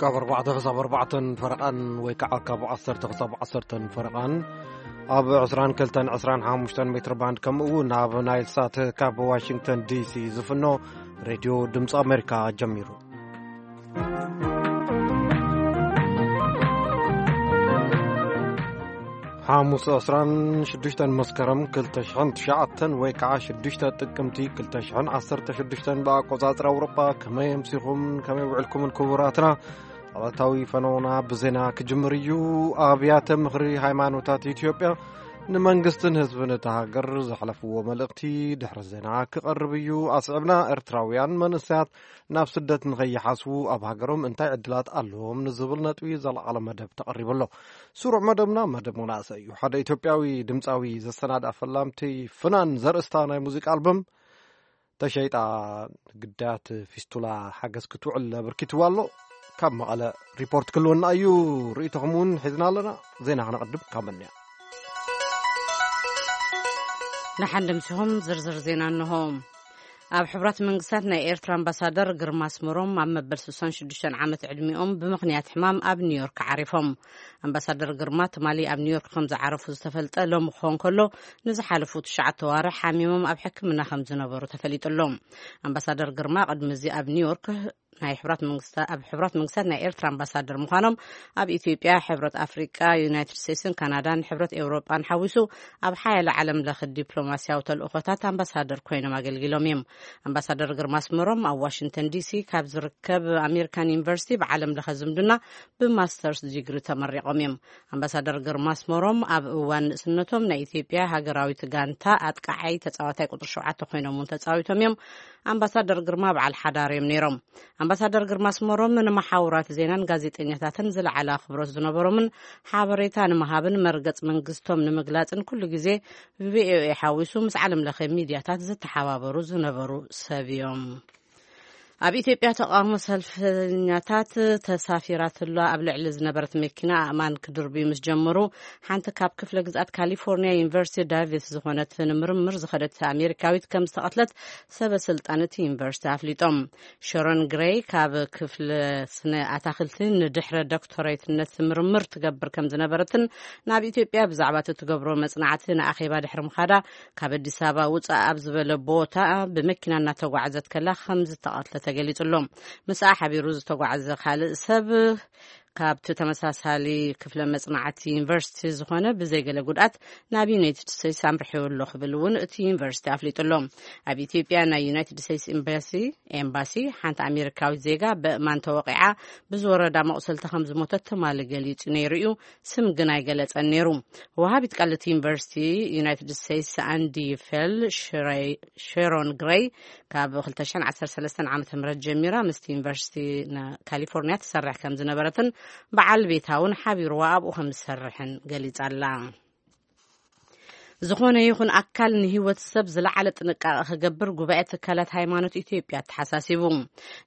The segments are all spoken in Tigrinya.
ካብ ኣርባዕተ ክሳብ ኣርባዕተን ፈረቓን ወይ ከዓ ካብ ዓሰርተ ክሳብ ዓሰርተን ፈረቓን ኣብ ዕስራን ክልተን ዕስራን ሓሙሽተን ሜትር ባንድ፣ ከምኡ እውን ኣብ ናይል ሳት ካብ ዋሽንግተን ዲሲ ዝፍኖ ሬድዮ ድምፂ ኣሜሪካ ጀሚሩ። ሓሙስ ዕስራን ሽዱሽተን መስከረም ክልተ ሽሕን ትሽዓተን ወይ ከዓ ሽዱሽተ ጥቅምቲ ክልተ ሽሕን ዓሰርተ ሽዱሽተን ብኣቆፃፅራ ኣውሮጳ። ከመይ ኣምሲኹም፣ ከመይ ውዕልኩምን ክቡራትና? ዕለታዊ ፈነውና ብዜና ክጅምር እዩ። ኣብያተ ምኽሪ ሃይማኖታት ኢትዮጵያ ንመንግስትን ህዝብን እታ ሃገር ዘሕለፍዎ መልእኽቲ ድሕሪ ዜና ክቐርብ እዩ። ኣስዕብና ኤርትራውያን መንእሰያት ናብ ስደት ንኸይሓስቡ ኣብ ሃገሮም እንታይ ዕድላት ኣለዎም ንዝብል ነጥቢ ዘለዓለ መደብ ተቐሪቡ ኣሎ። ስሩዕ መደብና መደብ መናእሰይ እዩ። ሓደ ኢትዮጵያዊ ድምፃዊ ዘሰናድኣ ፈላምቲ ፍናን ዘርእስታ ናይ ሙዚቃ ኣልበም ተሸይጣ ንግዳያት ፊስቱላ ሓገዝ ክትውዕል ኣበርኪትዋ ኣሎ። ካብ መቐለ ሪፖርት ክልወና እዩ። ርእይቶኹም እውን ሒዝና ኣለና። ዜና ክነቕድም ካብ መንያ። ንሓንድምሲኹም ዝርዝር ዜና እንሆ። ኣብ ሕቡራት መንግስታት ናይ ኤርትራ ኣምባሳደር ግርማ ኣስመሮም ኣብ መበል ስሳን ሽዱሽተን ዓመት ዕድሚኦም ብምኽንያት ሕማም ኣብ ኒውዮርክ ዓሪፎም። ኣምባሳደር ግርማ ትማሊ ኣብ ኒውዮርክ ከም ዝዓረፉ ዝተፈልጠ ሎሚ ክኸውን ከሎ፣ ንዝሓለፉ ትሽዓተ ዋርሕ ሓሚሞም ኣብ ሕክምና ከም ዝነበሩ ተፈሊጡ ኣሎ። ኣምባሳደር ግርማ ቅድሚ እዚ ኣብ ኒውዮርክ ናይ ሕቡራት መንግስታ-፣ ኣብ ሕቡራት መንግስታት ናይ ኤርትራ ኣምባሳደር ምዃኖም ኣብ ኢትዮጵያ፣ ሕብረት ኣፍሪቃ፣ ዩናይትድ ስቴትስን ካናዳን ሕብረት ኤውሮጳን ሓዊሱ ኣብ ሓያለ ዓለም ለኸ ዲፕሎማስያዊ ተልእኾታት ኣምባሳደር ኮይኖም ኣገልጊሎም እዮም። ኣምባሳደር ግርማ ኣስመሮም ኣብ ዋሽንግተን ዲሲ ካብ ዝርከብ ኣሜሪካን ዩኒቨርሲቲ ብዓለም ለኸ ዝምድና ብማስተርስ ዲግሪ ተመሪቖም እዮም። ኣምባሳደር ግርማ ኣስመሮም ኣብ እዋን ንእስነቶም ናይ ኢትዮጵያ ሃገራዊት ጋንታ ኣጥቃዓይ ተጻዋታይ ቁጽሪ ሸውዓተ ኮይኖም እውን ተጻዊቶም እዮም። ኣምባሳደር ግርማ በዓል ሓዳር እዮም ነይሮም። ኣምባሳደር ግርማ ኣስመሮም ንመሓውራት ዜናን ጋዜጠኛታትን ዝለዓለ ኣኽብሮት ዝነበሮምን ሓበሬታ ንምሃብን መርገጽ መንግስቶም ንምግላጽን ኩሉ ግዜ ብቪኦኤ ሓዊሱ ምስ ዓለም ለኸ ሚድያታት ዝተሓባበሩ ዝነበሩ ሰብ እዮም። ኣብ ኢትዮጵያ ተቃውሞ ሰልፈኛታት ተሳፊራትላ ኣብ ልዕሊ ዝነበረት መኪና ኣእማን ክድርብዩ ምስ ጀመሩ፣ ሓንቲ ካብ ክፍለ ግዝኣት ካሊፎርኒያ ዩኒቨርሲቲ ዳቪስ ዝኾነት ንምርምር ዝኸደት ኣሜሪካዊት ከም ዝተቐትለት ሰበ ስልጣን እቲ ዩኒቨርሲቲ ኣፍሊጦም። ሸሮን ግሬይ ካብ ክፍለ ስነ ኣታኽልቲ ንድሕረ ዶክተሬትነት ምርምር ትገብር ከም ዝነበረትን ናብ ኢትዮጵያ ብዛዕባ እቲ ትገብሮ መጽናዕቲ ንኣኼባ ድሕሪ ምኻዳ ካብ ኣዲስ ኣበባ ውጻእ ኣብ ዝበለ ቦታ ብመኪና እናተጓዕዘት ከላ ከም ዝተቐትለ ተገሊጹ ኣሎ። ምስኣ ሓቢሩ ዝተጓዕዘ ካልእ ሰብ ካብቲ ተመሳሳሊ ክፍለ መጽናዕቲ ዩኒቨርሲቲ ዝኾነ ብዘይገለ ጉድኣት ናብ ዩናይትድ ስቴትስ ኣምርሒው ኣሎ ክብል እውን እቲ ዩኒቨርሲቲ ኣፍሊጡ ኣሎ። ኣብ ኢትዮጵያ ናይ ዩናይትድ ስቴትስ ኤምባሲ፣ ኤምባሲ ሓንቲ ኣሜሪካዊት ዜጋ በእማን ተወቂዓ ብዝወረዳ መቑሰልቲ ከም ዝሞተት ትማሊ ገሊጹ ነይሩ እዩ። ስም ግን ኣይገለጸን ነይሩ። ወሃቢት ቃል እቲ ዩኒቨርሲቲ ዩናይትድ ስቴትስ ኣንዲ ፌል ሽረይ-፣ ሼሮን ግሬይ ካብ ክልተ ሽሕን ዓሰርተ ሰለስተን ዓመተ ምህረት ጀሚራ ምስቲ ዩኒቨርሲቲ ና-፣ ካሊፎርኒያ ትሰርሕ ከም ዝነበረትን በዓል ቤታ እውን ሓቢርዋ ኣብኡ ከም ዝሰርሕን ገሊጻ ኣላ። ዝኾነ ይኹን ኣካል ንህይወት ሰብ ዝለዓለ ጥንቃቐ ክገብር ጉባኤ ትካላት ሃይማኖት ኢትዮጵያ ኣተሓሳሲቡ።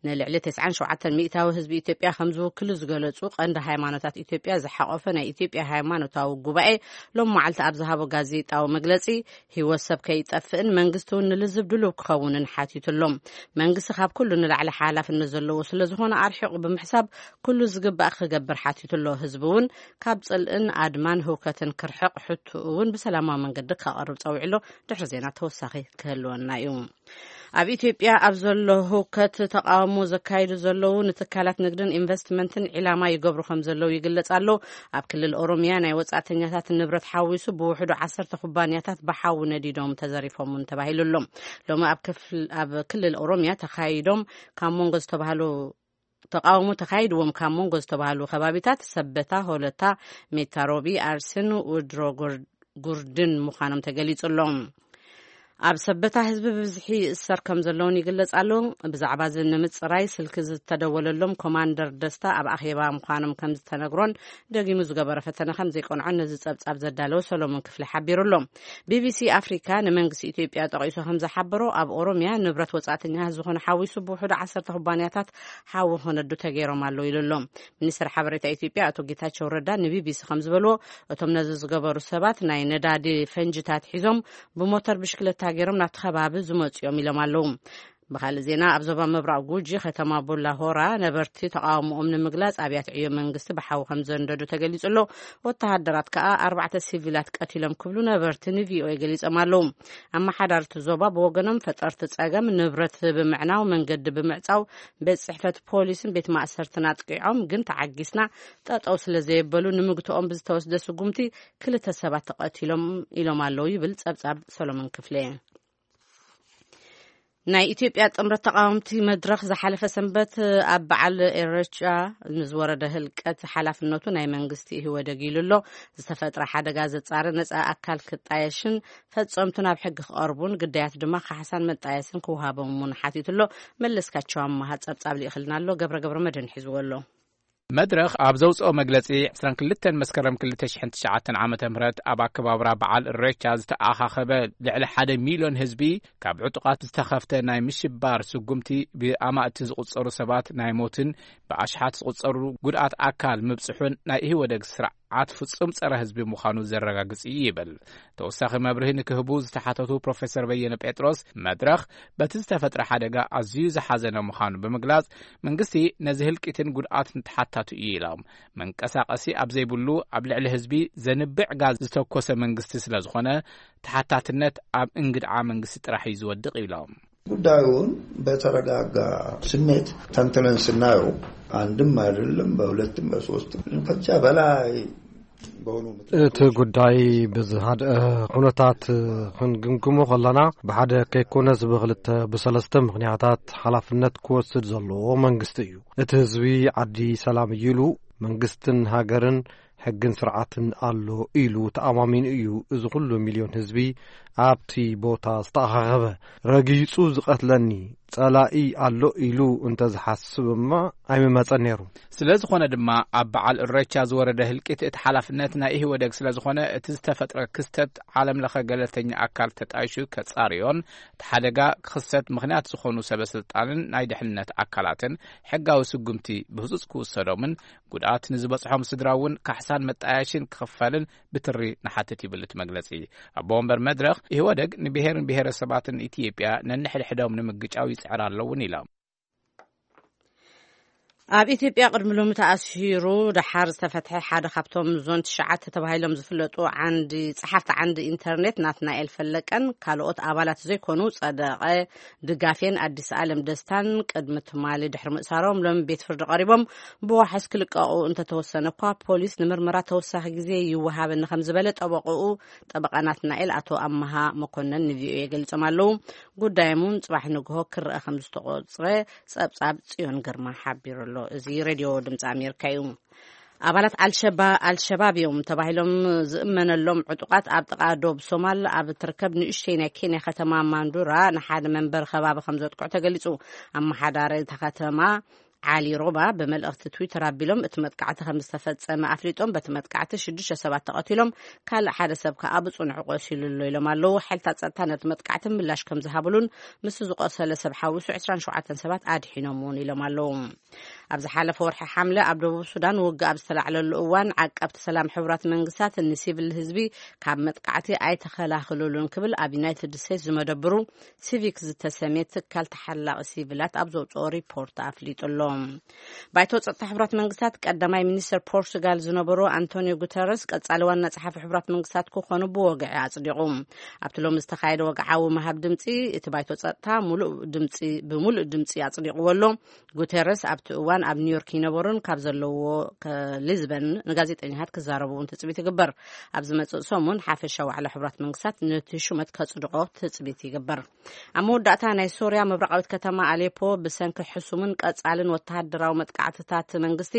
ንልዕሊ ተስዓን ሸውዓተን ሚእታዊ ህዝቢ ኢትዮጵያ ከም ዝውክሉ ዝገለጹ ቀንዲ ሃይማኖታት ኢትዮጵያ ዝሓቆፈ ናይ ኢትዮጵያ ሃይማኖታዊ ጉባኤ ሎም መዓልቲ ኣብ ዝሃቦ ጋዜጣዊ መግለጺ፣ ህይወት ሰብ ከይጠፍእን መንግስቲ እውን ንልዝብ ድሉው ክኸውንን ሓቲቱ ኣሎ። መንግስቲ ካብ ኩሉ ንላዕሊ ሓላፍነት ዘለዎ ስለ ዝኾነ ኣርሒቑ ብምሕሳብ ኩሉ ዝግባእ ክገብር ሓቲቱ ኣሎ። ህዝቢ እውን ካብ ጽልእን ኣድማን ህውከትን ክርሕቕ ሕቶኡ እውን ብሰላማዊ መንገዲ ከቕርብ ጸዊዑ ኣሎ። ድሕሪ ዜና ተወሳኺ ክህልወና እዩ። ኣብ ኢትዮጵያ ኣብ ዘሎ ህውከት ተቃውሞ ዘካይዱ ዘለዉ ንትካላት ንግድን ኢንቨስትመንትን ዒላማ ይገብሩ ከም ዘለዉ ይግለጽ ኣሎ። ኣብ ክልል ኦሮሚያ ናይ ወጻእተኛታት ንብረት ሓዊሱ ብውሕዱ ዓሰርተ ኩባንያታት ብሓዊ ነዲዶም ተዘሪፎም እውን ተባሂሉ ኣሎ። ሎሚ ኣብ ክፍል-፣ ኣብ ክልል ኦሮሚያ ተኻይዶም ካብ መንጎ ዝተባህሉ ተቃውሞ ተኻይድዎም ካብ መንጎ ዝተባህሉ ከባቢታት ሰበታ፣ ሆለታ፣ ሜታ ሮቢ፣ ኣርሲን ውድሮ ጉር-፣ ጉርድን ምዃኖም ተገሊጹ ኣሎ። ኣብ ሰበታ ህዝቢ ብብዝሒ ይእሰር ከም ዘለውን ይግለጽ ኣሎ። ብዛዕባ እዚ ንምጽራይ ስልኪ ዝተደወለሎም ኮማንደር ደስታ ኣብ ኣኼባ ምዃኖም ከም ዝተነግሮን ደጊሙ ዝገበረ ፈተነ ከም ዘይቀንዖን ነዚ ጸብጻብ ዘዳለወ ሰሎሞን ክፍሊ ሓቢሩ ኣሎ። ቢቢሲ ኣፍሪካ ንመንግስቲ ኢትዮጵያ ጠቒሱ ከም ዝሓበሮ ኣብ ኦሮሚያ ንብረት ወጻእተኛታት ዝኾነ ሓዊሱ ብውሕዱ ዓሰርተ ኩባንያታት ሓዊ ክነዱ ተገይሮም ኣለዉ ኢሉ ኣሎ። ሚኒስትር ሓበሬታ ኢትዮጵያ ኣቶ ጌታቸው ረዳ ንቢቢሲ ከም ዝበልዎ፣ እቶም ነዚ ዝገበሩ ሰባት ናይ ነዳዲ ፈንጅታት ሒዞም ብሞተር ብሽክለታ ገይሮም ናብቲ ከባቢ ዝመጹ እዮም ኢሎም ኣለዉ። ብኻልእ ዜና፣ ኣብ ዞባ ምብራቕ ጉጂ ከተማ ቡላ ሆራ ነበርቲ ተቓውሞኦም ንምግላጽ ኣብያተ ዕዮ መንግስቲ ብሓዊ ከም ዘንደዱ ተገሊጹ ኣሎ። ወተሃደራት ከኣ ኣርባዕተ ሲቪላት ቀቲሎም ክብሉ ነበርቲ ንቪኦኤ ገሊጾም ኣለዉ። ኣመሓዳርቲ ዞባ ብወገኖም፣ ፈጠርቲ ጸገም ንብረት ብምዕናው፣ መንገዲ ብምዕጻው፣ ቤት ጽሕፈት ፖሊስን ቤት ማእሰርትን ኣጥቂዖም፣ ግን ተዓጊስና ጠጠው ስለ ዘየበሉ ንምግትኦም ብዝተወስደ ስጉምቲ ክልተ ሰባት ተቐቲሎም ኢሎም ኣለዉ ይብል ጸብጻብ ሰሎሞን ክፍለ። ናይ ኢትዮጵያ ጥምረት ተቃወምቲ መድረኽ ዝሓለፈ ሰንበት ኣብ በዓል ኤረቻ ንዝወረደ ህልቀት ሓላፍነቱ ናይ መንግስቲ ኢህወደግ ኢሉ ኣሎ። ዝተፈጥረ ሓደጋ ዘጻሪ ነጻ ኣካል ክጣየሽን ፈጸምቱ ናብ ሕጊ ክቐርቡን ግዳያት ድማ ካሕሳን መጣየስን ክወሃቦም እውን ሓቲቱ ኣሎ። መለስካቸው ኣማሃ ጸብጻብ ልኢኽልና ኣሎ። ገብረ ገብረ መድህን ሒዝዎ ኣሎ። መድረኽ ኣብ ዘውፅኦ መግለፂ፣ ዕስራን ክልተን መስከረም ክልተ ሽሕን ትሽዓተን ዓመተ ምህረት ኣብ ኣከባብራ በዓል እሬቻ ዝተኣኻኸበ ልዕሊ ሓደ ሚልዮን ህዝቢ ካብ ዕጡቓት ዝተኸፍተ ናይ ምሽባር ስጉምቲ ብኣማእቲ ዝቑፀሩ ሰባት ናይ ሞትን ብኣሽሓት ዝቑፀሩ ጉድኣት ኣካል ምብፅሑን ናይ ኢህወደግ ስርዓት ፍፁም ፀረ ህዝቢ ምዃኑ ዘረጋግፅ እዩ ይብል። ተወሳኺ መብርሂ ንክህቡ ዝተሓተቱ ፕሮፌሰር በየነ ጴጥሮስ፣ መድረኽ በቲ ዝተፈጥረ ሓደጋ ኣዝዩ ዝሓዘነ ምዃኑ ብምግላጽ፣ መንግስቲ ነዚ ህልቂትን ጉድኣትን ተሓታቱ እዩ ኢሎም። መንቀሳቐሲ ኣብ ዘይብሉ ኣብ ልዕሊ ህዝቢ ዘንብዕ ጋዝ ዝተኮሰ መንግስቲ ስለ ዝኾነ፣ ተሓታትነት ኣብ እንግድዓ መንግስቲ ጥራሕ እዩ ዝወድቕ ኢሎም። ጉዳዩን በተረጋጋ ስሜት ተንትነን ስናየው፣ አንድም አይደለም፣ በሁለትም በሶስትም፣ ከዚያ በላይ በሆኑ ምክንያቶች፣ እቲ ጉዳይ ብዝሃድአ ኩነታት ክንግምግሞ ከለና፣ ብሓደ ከይኮነስ ብክልተ ብሰለስተ ምክንያታት ሓላፍነት ክወስድ ዘለዎ መንግስቲ እዩ። እቲ ህዝቢ ዓዲ ሰላም እዩ ኢሉ፣ መንግስትን ሃገርን ሕግን ስርዓትን ኣሎ ኢሉ ተኣማሚኑ እዩ እዚ ኩሉ ሚልዮን ህዝቢ ኣብቲ ቦታ ዝተኣኻኸበ። ረጊጹ ዝቐትለኒ ጸላኢ ኣሎ ኢሉ እንተዝሓስብ እማ ኣይምመጸን ነይሩ። ስለ ዝኾነ ድማ ኣብ በዓል እሬቻ ዝወረደ ህልቂት እቲ ሓላፍነት ናይ ኢህወደግ ስለ ዝኾነ፣ እቲ ዝተፈጥረ ክስተት ዓለም ለኸ ገለልተኛ ኣካል ተጣይሹ ከጻርዮን እቲ ሓደጋ ክኽሰት ምኽንያት ዝኾኑ ሰበ ስልጣንን ናይ ድሕንነት ኣካላትን ሕጋዊ ስጉምቲ ብህጹጽ ክውሰዶምን ጉድኣት ንዝበጽሖም ስድራ እውን ካሕሳን መጣያሽን ክኽፈልን ብትሪ ንሓትት ይብል እቲ መግለጺ። ኣቦ ወንበር መድረኽ፣ ኢህወደግ ንብሄርን ብሄረሰባትን ኢትዮጵያ ነንሕድሕዶም ንምግጫው ይጽዕር ኣለውን ኢሎም። ኣብ ኢትዮጵያ ቅድሚ ሎሚ ተኣሲሩ ደሓር ዝተፈትሐ ሓደ ካብቶም ዞን ትሽዓተ ተባሂሎም ዝፍለጡ ዓንዲ ጸሓፍቲ ዓንዲ ኢንተርኔት ናትናኤል ፈለቀን ካልኦት ኣባላት ዘይኮኑ ጸደቐ ድጋፌን ኣዲስ ኣለም ደስታን ቅድሚ ትማሊ ድሕሪ ምእሳሮም ሎሚ ቤት ፍርዲ ቀሪቦም ብዋሕስ ክልቀቑ እንተተወሰነ እኳ፣ ፖሊስ ንምርመራ ተወሳኺ ግዜ ይወሃበኒ ከም ዝበለ ጠበቕኡ፣ ጠበቓ ናትናኤል ኣቶ ኣመሃ መኮነን ንቪኦኤ ገሊጾም ኣለዉ። ጉዳዮም እውን ጽባሕ ንግሆ ክረኣ ከም ዝተቖጽረ ጸብጻብ ጽዮን ግርማ ሓቢሩ ኣሎ። እዚ ሬድዮ ድምጺ ኣሜሪካ እዩ። ኣባላት ኣልሸባ-፣ ኣልሸባብ እዮም ተባሂሎም ዝእመነሎም ዕጡቓት ኣብ ጥቓ ዶብ ሶማል ኣብ እትርከብ ንእሽተይ ናይ ኬንያ ከተማ ማንዱራ ንሓደ መንበሪ ከባቢ ከም ዘጥቅዑ ተገሊጹ። ኣመሓዳሪ እታ ከተማ ዓሊ ሮባ ብመልእኽቲ ትዊተር ኣቢሎም፣ እቲ መጥቃዕቲ ከም ዝተፈጸመ ኣፍሊጦም፣ በቲ መጥቃዕቲ ሽዱሽተ ሰባት ተቐቲሎም፣ ካልእ ሓደ ሰብ ከኣ ብጽኑዕ ቆሲሉ ኣሎ ኢሎም ኣለዉ። ሓይልታት ጸጥታ ነቲ መጥቃዕቲ ምላሽ ከም ዝሃብሉን ምስቲ ዝቆሰለ ሰብ ሓዊሱ ዕስራን ሸውዓተን ሰባት ኣድሒኖም እውን ኢሎም ኣለዉ። ኣብ ዝሓለፈ ወርሒ ሓምለ ኣብ ደቡብ ሱዳን ውግእ ኣብ ዝተላዕለሉ እዋን፣ ዓቀብቲ ሰላም ሕቡራት መንግስታት ንሲቪል ህዝቢ ካብ መጥቃዕቲ ኣይተኸላኸሉሉን ክብል ኣብ ዩናይትድ ስቴትስ ዝመደብሩ ሲቪክ ዝተሰምየ ትካል ተሓላቒ ሲቪላት ኣብ ዘውፅኦ ሪፖርት ኣፍሊጡ ኣሎ። ባይቶ ጸጥታ ሕቡራት መንግስታት ቀዳማይ ሚኒስተር ፖርቱጋል ዝነበሩ ኣንቶኒዮ ጉተረስ ቀጻሊ ዋና ጸሓፊ ሕቡራት መንግስታት ክኾኑ ብወግዒ ኣጽዲቑ። ኣብቲ ሎሚ ዝተኻየደ ወግዓዊ ምሃብ ድምጺ፣ እቲ ባይቶ ጸጥታ ሙሉእ ድምጺ፣ ብሙሉእ ድምጺ ኣጽዲቕዎ ኣሎ። ጉተረስ ኣብቲ እዋን ኣብ ኒውዮርክ ይነበሩን ካብ ዘለዎ ከ-፣ ሊዝበን ንጋዜጠኛታት ክዛረቡ እውን ትጽቢት ይግበር። ኣብ ዝመጽእ ሰሙን ሓፈሻ ዋዕላ ሕቡራት መንግስታት ነቲ ሹመት ከጽድቆ ትጽቢት ይግበር። ኣብ መወዳእታ፣ ናይ ሶርያ ምብራቓዊት ከተማ ኣሌፖ ብሰንኪ ሕሱምን ቀጻልን ወተሃደራዊ መጥቃዕትታት መንግስቲ፣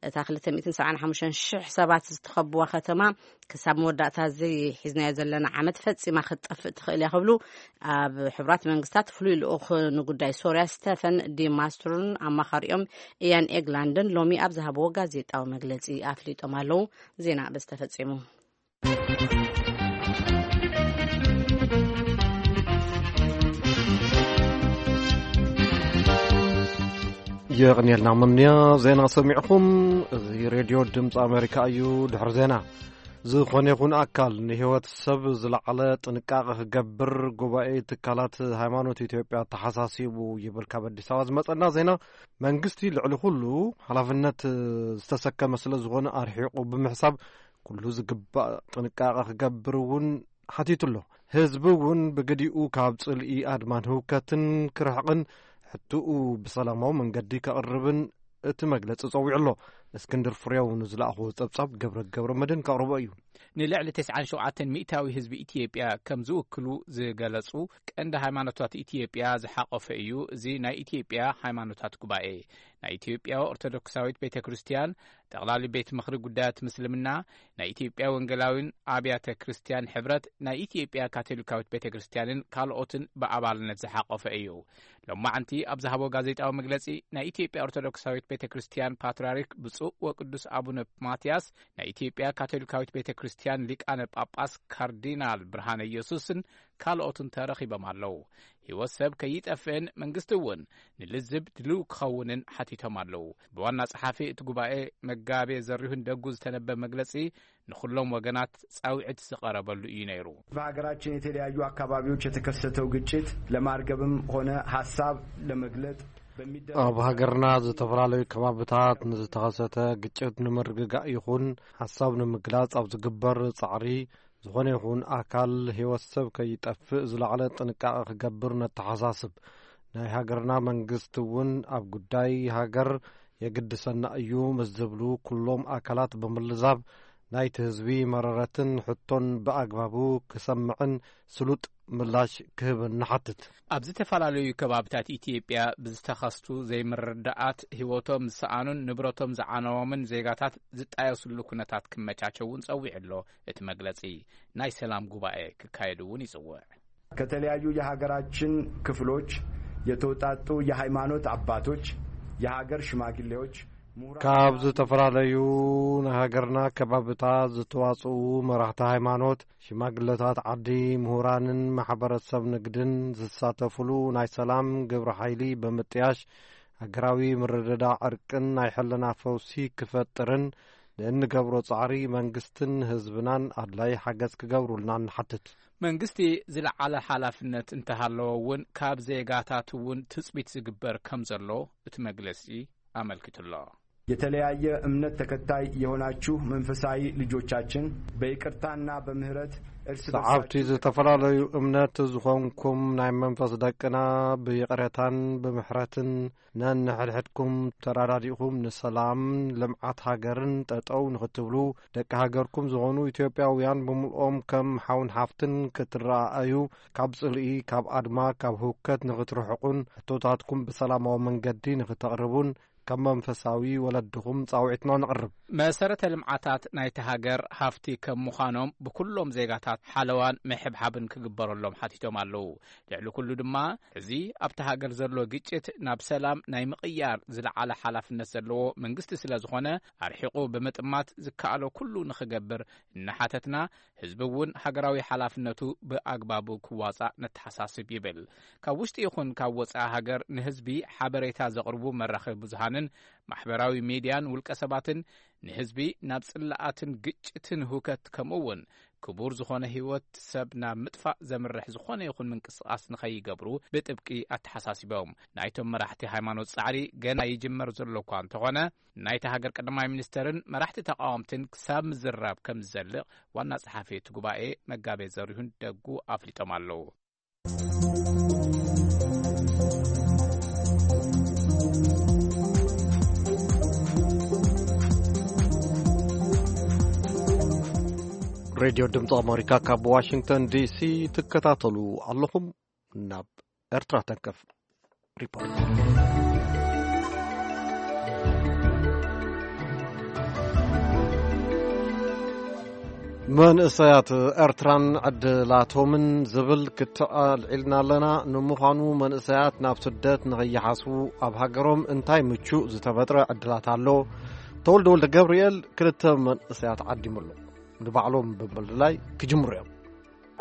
እታ ክልተ ሚእትን ሰብዓን ሓሙሽተን ሽሕ ሰባት ዝተኸብዋ ከተማ ክሳብ መወዳእታ እዚ ሒዝናዮ ዘለና ዓመት ፈጺማ ክትጠፍእ ትኽእል እያ ክብሉ ኣብ ሕቡራት መንግስታት ፍሉይ ልኡኽ ንጉዳይ ሶርያ ስቴፈን ዲ ማስትሩን ኣማኻሪኦም ኢያን ኤግላንድን ሎሚ ኣብ ዝሃብዎ ጋዜጣዊ መግለጺ ኣፍሊጦም ኣለዉ። ዜና በዚ ተፈጺሙ። የቕንየልና ምንያ ዜና ሰሚዕኹም። እዚ ሬድዮ ድምፂ ኣሜሪካ እዩ። ድሕሪ ዜና ዝኾነ ይኹን ኣካል ንህይወት ሰብ ዝለዓለ ጥንቃቐ ክገብር ጉባኤ ትካላት ሃይማኖት ኢትዮጵያ ተሓሳሲቡ ይብል ካብ ኣዲስ ኣበባ ዝመጸና ዜና። መንግስቲ ልዕሊ ኩሉ ሓላፍነት ዝተሰከመ ስለ ዝኾነ ኣርሒቑ ብምሕሳብ ኩሉ ዝግባእ ጥንቃቐ ክገብር እውን ሓቲቱ ኣሎ። ህዝቢ እውን ብግዲኡ ካብ ጽልኢ ኣድማን ህውከትን ክርሕቕን ሕትኡ ብሰላማዊ መንገዲ ከቕርብን እቲ መግለጺ ጸዊዑ ኣሎ። እስክንድር ፍሬው ንዝለኣኽዎ ጸብጻብ ገብረ ገብረ መድህን ከቕርቦ እዩ። ንልዕሊ ተስዓን ሸውዓተን ሚእታዊ ህዝቢ ኢትዮጵያ ከም ዝውክሉ ዝገለጹ ቀንዲ ሃይማኖታት ኢትዮጵያ ዝሓቆፈ እዩ። እዚ ናይ ኢትዮጵያ ሃይማኖታት ጉባኤ፣ ናይ ኢትዮጵያ ኦርቶዶክሳዊት ቤተ ክርስቲያን፣ ጠቕላሊ ቤት ምኽሪ ጉዳያት ምስልምና፣ ናይ ኢትዮጵያ ወንጌላዊን ኣብያተ ክርስቲያን ሕብረት፣ ናይ ኢትዮጵያ ካቶሊካዊት ቤተ ክርስቲያንን ካልኦትን ብኣባልነት ዝሓቆፈ እዩ። ሎማዓንቲ ኣብ ዝሃቦ ጋዜጣዊ መግለጺ፣ ናይ ኢትዮጵያ ኦርቶዶክሳዊት ቤተ ክርስቲያን ፓትርያርክ ብፁዕ ወቅዱስ ኣቡነ ማትያስ፣ ናይ ኢትዮጵያ ካቶሊካዊት ቤተ ክርስቲያን ሊቃነ ጳጳስ ካርዲናል ብርሃነ ኢየሱስን ካልኦትን ተረኺቦም ኣለዉ። ህይወት ሰብ ከይጠፍእን መንግስቲ እውን ንልዝብ ድልው ክኸውንን ሓቲቶም ኣለዉ። ብዋና ጸሓፊ እቲ ጉባኤ መጋቤ ዘሪሁን ደጉ ዝተነበ መግለጺ ንኹሎም ወገናት ጻውዒት ዝቐረበሉ እዩ ነይሩ። በሀገራችን የተለያዩ አካባቢዎች የተከሰተው ግጭት ለማርገብም ሆነ ሐሳብ ለመግለጥ በሚደረግ ኣብ ሃገርና ዝተፈላለዩ ከባብታት ንዝተኸሰተ ግጭት ንምርግጋእ ይኹን ሓሳብ ንምግላጽ ኣብ ዝግበር ጻዕሪ፣ ዝኾነ ይኹን ኣካል ህይወት ሰብ ከይጠፍእ ዝለዓለ ጥንቃቐ ክገብር ነተሓሳስብ። ናይ ሃገርና መንግስቲ እውን ኣብ ጉዳይ ሃገር የግድሰና እዩ ምስ ዝብሉ ኩሎም ኣካላት ብምልዛብ ናይቲ ህዝቢ መረረትን ሕቶን ብኣግባቡ ክሰምዕን ስሉጥ ምላሽ ክህብን ንሓትት። ኣብ ዝተፈላለዩ ከባብታት ኢትዮጵያ ብዝተኸስቱ ዘይምርዳኣት ህይወቶም ዝሰኣኑን ንብረቶም ዝዓነዎምን ዜጋታት ዝጣየሱሉ ኩነታት ክመቻቸውን ጸዊዑ ኣሎ። እቲ መግለጺ ናይ ሰላም ጉባኤ ክካየድ እውን ይጽውዕ። ከተለያዩ የሀገራችን ክፍሎች የተውጣጡ የሃይማኖት አባቶች፣ የሀገር ሽማግሌዎች፣ ምሁራን ካብ ዝተፈላለዩ ናይ ሃገርና ከባብታት ዝተዋጽኡ መራሕቲ ሃይማኖት፣ ሽማግለታት ዓዲ፣ ምሁራንን ማሕበረሰብ ንግድን ዝሳተፉሉ ናይ ሰላም ግብረ ሓይሊ ብምጥያሽ፣ ሃገራዊ ምርድዳእ ዕርቅን ናይ ሕልና ፈውሲ ክፈጥርን ንእንገብሮ ጻዕሪ መንግስትን ህዝብናን ኣድላይ ሓገዝ ክገብሩልና ንሓትት። መንግስቲ ዝለዓለ ሓላፍነት እንተሃለዎ እውን ካብ ዜጋታት እውን ትጽቢት ዝግበር ከም ዘሎ እቲ መግለጺ ኣመልኪቱ ኣሎ። የተለያየ እምነት ተከታይ የሆናችሁ መንፈሳዊ ልጆቻችን በይቅርታና በምህረት እርስ በርሳችሁ ሰዓብቲ ዝተፈላለዩ እምነት ዝኾንኩም ናይ መንፈስ ደቅና ብይቕረታን ብምሕረትን ነንሕድሕድኩም ተራዳዲእኹም ንሰላም ልምዓት ሃገርን ጠጠው ንኽትብሉ ደቂ ሃገርኩም ዝኾኑ ኢትዮጵያውያን ብምልኦም ከም ሓውን ሓፍትን ክትረኣኣዩ ካብ ጽልኢ፣ ካብ ኣድማ፣ ካብ ህውከት ንኽትርሕቁን ሕቶታትኩም ብሰላማዊ መንገዲ ንኽተቕርቡን ከም መንፈሳዊ ወለድኹም ጻውዒትና ነቕርብ። መሰረተ ልምዓታት ናይቲ ሃገር ሃፍቲ ከም ምዃኖም ብኩሎም ዜጋታት ሓለዋን ምሕብሓብን ክግበረሎም ሓቲቶም ኣለዉ። ልዕሊ ኩሉ ድማ እዚ ኣብቲ ሃገር ዘሎ ግጭት ናብ ሰላም ናይ ምቕያር ዝለዓለ ሓላፍነት ዘለዎ መንግስቲ ስለ ዝኾነ ኣርሒቑ ብምጥማት ዝከኣሎ ኩሉ ንኽገብር እናሓተትና ህዝቢ እውን ሃገራዊ ሓላፍነቱ ብኣግባቡ ክዋጻእ ነተሓሳስብ ይብል። ካብ ውሽጢ ይኹን ካብ ወጻኢ ሃገር ንህዝቢ ሓበሬታ ዘቕርቡ መራኸቢ ብዙሃንን ማሕበራዊ ሜድያን ውልቀ ሰባትን ንህዝቢ ናብ ጽላኣትን ግጭትን ህውከት ከምኡ እውን ክቡር ዝኾነ ህይወት ሰብ ናብ ምጥፋእ ዘምርሕ ዝኾነ ይኹን ምንቅስቓስ ንኸይገብሩ ብጥብቂ ኣተሓሳሲቦም። ናይቶም መራሕቲ ሃይማኖት ጻዕሪ ገና ይጅመር ዘሎ እኳ እንተኾነ ናይቲ ሃገር ቀዳማይ ሚኒስተርን መራሕቲ ተቃወምትን ክሳብ ምዝራብ ከም ዝዘልቕ ዋና ጸሓፊ እቲ ጉባኤ መጋቤ ዘሪሁን ደጉ ኣፍሊጦም ኣለዉ። ሬድዮ ድምፂ ኣሜሪካ ካብ ዋሽንግተን ዲሲ ትከታተሉ ኣለኹም። ናብ ኤርትራ ተንከፍ። ሪፖርት። መንእሰያት ኤርትራን ዕድላቶምን ዝብል ክትዕ ኣልዒልና ኣለና። ንምዃኑ መንእሰያት ናብ ስደት ንኸይሓስቡ ኣብ ሃገሮም እንታይ ምቹእ ዝተፈጥረ ዕድላት ኣሎ? ተወልደ ወልደ ገብርኤል ክልተ መንእሰያት ዓዲሙ ኣሎ። ንባዕሎም ብምልላይ ክጅምሩ እዮም።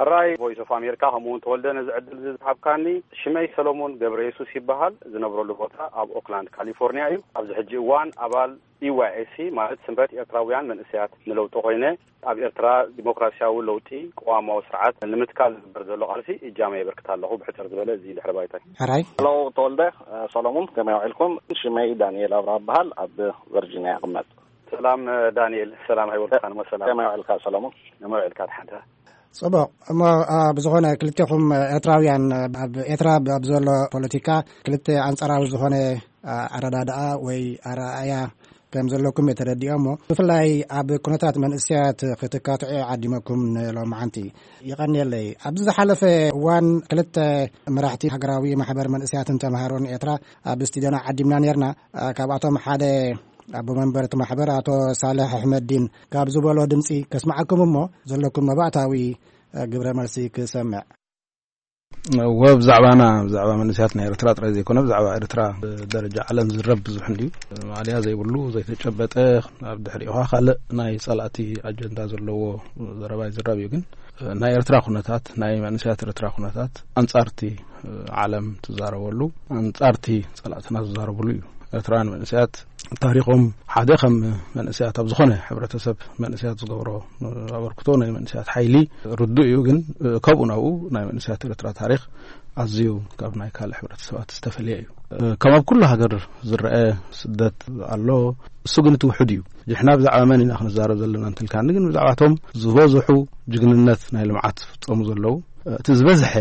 ሕራይ ቮይስ ኦፍ ኣሜሪካ፣ ከምኡ እውን ተወልደ፣ ነዚ ዕድል እዚ ዝሃብካኒ። ሽመይ ሰሎሞን ገብረ የሱስ ይበሃል። ዝነብረሉ ቦታ ኣብ ኦክላንድ ካሊፎርኒያ እዩ። ኣብዚ ሕጂ እዋን ኣባል ኢ ዋይ ኤስ ሲ፣ ማለት ስምረት ኤርትራውያን መንእሰያት ንለውጢ ኮይነ፣ ኣብ ኤርትራ ዲሞክራሲያዊ ለውጢ ቅዋማዊ ስርዓት ንምትካል ዝግበር ዘሎ ቃልሲ እጃመ የበርክት ኣለኹ። ብሕጽር ዝበለ እዚ ድሕሪ ባይታይ። ሕራይ። ሄሎ ተወልደ፣ ሰሎሞን፣ ከመይ ውዒልኩም? ሽመይ ዳንኤል ኣብርሃ እበሃል፣ ኣብ ቨርጂኒያ እቕመጥ። ሰላም ዳንኤል፣ ሰላም ኣይወልካ ንሞ ሰላም። ከመይ ውዕልካ ሰሎሞን? ከመይ ውዕልካ ድሓንታ? ጽቡቕ። እሞ፣ አ፣ ብዝኾነ ክልቴኹም ኤርትራውያን፣ ኣብ ኤርትራ ኣብ ዘሎ ፖለቲካ ክልተ ኣንጻራዊ ዝኾነ፣ አ፣ ኣረዳድኣ ወይ ኣረኣእያ ከም ዘለኩም እየ ተረዲኦ። እሞ ብፍላይ ኣብ ኩነታት መንእሰያት ክትካትዑ ዓዲመኩም ንሎማዓንቲ። ይቐንየለይ። ኣብዚ ዝሓለፈ እዋን ክልተ መራሕቲ ሃገራዊ ማሕበር መንእሰያትን ተምሃሮን ኤርትራ ኣብ ስቱድዮና ዓዲምና ነርና። አ፣ ካብኣቶም ሓደ ኣቦ መንበር እቲ ማሕበር ኣቶ ሳልሕ ኣሕመዲን ካብ ዝበሎ ድምጺ ከስምዓኩም እሞ ዘለኩም መባእታዊ፣ እ፣ ግብረ መልሲ ክሰምዕ። እወ፣ ብዛዕባና፣ ብዛዕባ መንእሰያት ናይ ኤርትራ ጥራይ ዘይኮነ፣ ብዛዕባ ኤርትራ ብደረጃ ዓለም ዝረብ ብዙሕ እንድዩ። ማእለያ ዘይብሉ፣ ዘይተጨበጠ፣ ኣብ ድሕሪኡ ኸኣ ካልእ ናይ ጸላእቲ ኣጀንዳ ዘለዎ ዘረባ ይዝረብ እዩ። ግን ናይ ኤርትራ ኩነታት፣ ናይ መንእሰያት ኤርትራ ኩነታት ኣንጻርቲ ዓለም ትዛረበሉ፣ ኣንጻርቲ ጸላእትና ዝዛረብሉ እዩ። ኤርትራውያን መንእሰያት ታሪኾም ሓደ ከም መንእሰያት ኣብ ዝኾነ ሕብረተሰብ መንእሰያት ዝገብሮ ኣበርክቶ ናይ መንእሰያት ሓይሊ ርዱእ እዩ። ግን ከምኡ ናብኡ ናይ መንእሰያት ኤርትራ ታሪኽ ኣዝዩ ካብ ናይ ካልእ ሕብረተሰባት ዝተፈልየ እዩ። ከም ኣብ ኩሉ ሃገር ዝረአ ስደት ኣሎ፣ እሱ ግን እቲ ውሑድ እዩ። ሕጂ ንሕና ብዛዕባ መን ኢና ክንዛረብ ዘለና እንተልካኒ፣ ግን ብዛዕባቶም ዝበዝሑ ጅግንነት ናይ ልምዓት ዝፍጸሙ ዘለዉ፣ እቲ ዝበዝሐ